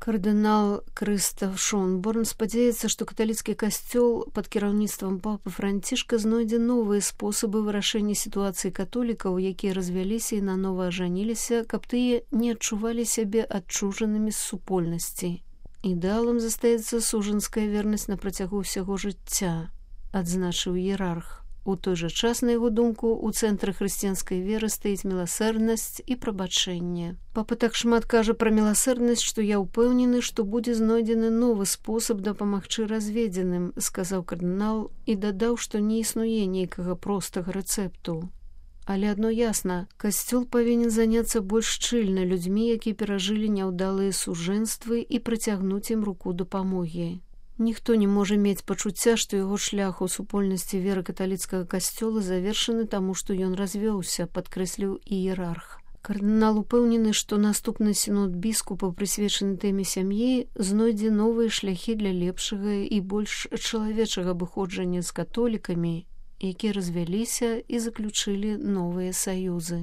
Кардынал Крыстаф Шонборн спадзяецца, што каталіцкі касцёл пад кіраўніцтвам папы Францішка знойдзе новыя спосабы вырашэння сітуацыі католікаў, якія развяліся і нанова ажаніліся, каб тыя не адчувалі сябе адчужанымі з супольнасці. Ідэалам застаецца сужанская вернасць на працягу ўсяго жыцця, адзначыў іерарх. У той жа час, на яго думку, у цэнтры хрысціянскай веры стаіць міласэрнасць і прабачэнне. Папа так шмат кажа пра міласэрнасць, што я ўпэўнены, што будзе знойдзены новы спосаб дапамагчы разведзеным, сказаў кардынал і дадаў, што не існуе нейкага простага рэцэпту. Але адно ясна, касцёл павінен заняцца больш шчыльна людзьмі, якія перажылі няўдалыя сужэнствы і працягнуць ім руку дапамогі. Ніхто не можа мець пачуцця, што яго шлях у супольнасці веры каталіцкага касцёла завершаны таму, што ён развёўся, падкрэсліў іерарх. Кардынал упэўнены, што наступны сінод біскупа, прысвечаны тэме сям'і, знойдзе новыя шляхі для лепшага і больш чалавечага абыходжання з католікамі, якія развяліся і заключылі новыя саюзы.